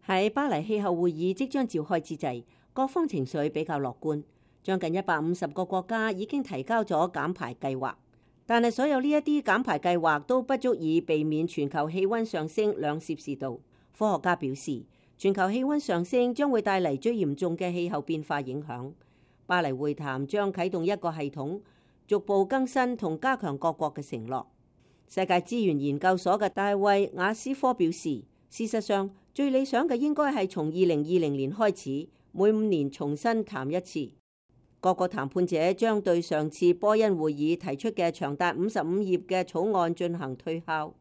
喺巴黎氣候會議即將召開之際，各方情緒比較樂觀，將近150個國家已經提交咗減排計劃。但係所有呢一啲減排計劃都不足以避免全球氣溫上升2°C。科學家表示，全球氣溫上升將會帶嚟最嚴重嘅氣候變化影響。巴黎會談將啟動一個系統，逐步更新同加強各國嘅承諾。世界資源研究所嘅大衛雅斯科表示，事實上最理想嘅應該係從2020年開始，每5年重新談一次。各個談判者將對上次波恩會議提出嘅長達55頁嘅草案進行推敲。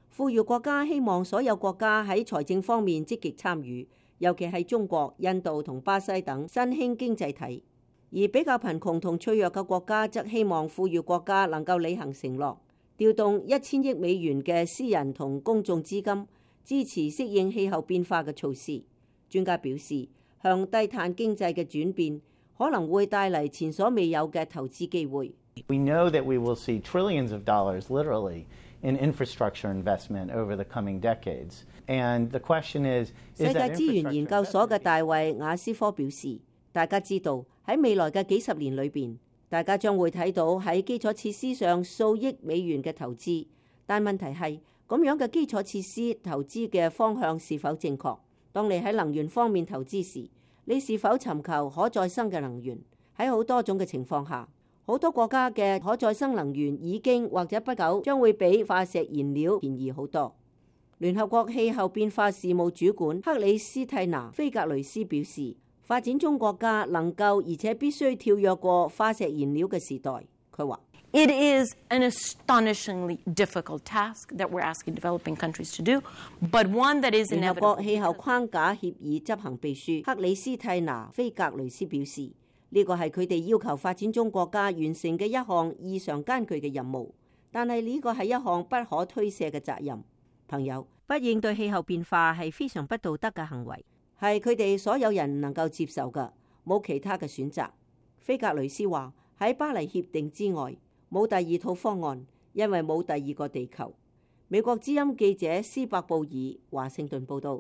富裕國家希望所有國家喺財政方面積極參與，尤其係中國、印度同巴西等新興經濟體。而比較貧窮同脆弱嘅國家則希望富裕國家能夠履行承諾，調動1000億美元嘅私人同公眾資金，支持適應氣候變化嘅措施。專家表示，向低碳經濟嘅轉變可能會帶嚟前所未有嘅投資機會。We know that we will see trillions of dollars, literally, in infrastructure investment over the coming decades. And the question is, 世界資源研究所嘅大衛雅斯科表示，大家知道喺未來嘅幾十年裏邊，大家將會睇到喺基礎設施上數億美元嘅投資。但問題係，咁樣嘅基礎設施投資嘅方向是否正確？當你喺能源方面投資時，你是否尋求可再生嘅能源？喺好多種嘅情況下，好多國家嘅可再生能源已經或者不久將會比化石燃料便宜好多。聯合國氣候變化事務主管克里斯蒂娜·菲格雷斯表示，發展中國家能夠而且必須跳躍過化石燃料嘅時代。佢話：It is an astonishingly difficult task that we're asking developing countries to do, but one that is inevitable. 聯合國氣候框架協議執行秘書克里斯蒂娜·菲格雷斯表示，呢個係佢哋要求發展中國家完成嘅一項異常艱巨嘅任務，但係呢個係一項不可推卸嘅責任。朋友，不應對氣候變化係非常不道德嘅行為，係佢哋所有人唔能夠接受嘅，冇其他嘅選擇。菲格雷斯話，喺巴黎協定之外，冇第二套方案，因為冇第二個地球。美國之音記者斯伯布爾華盛頓報道。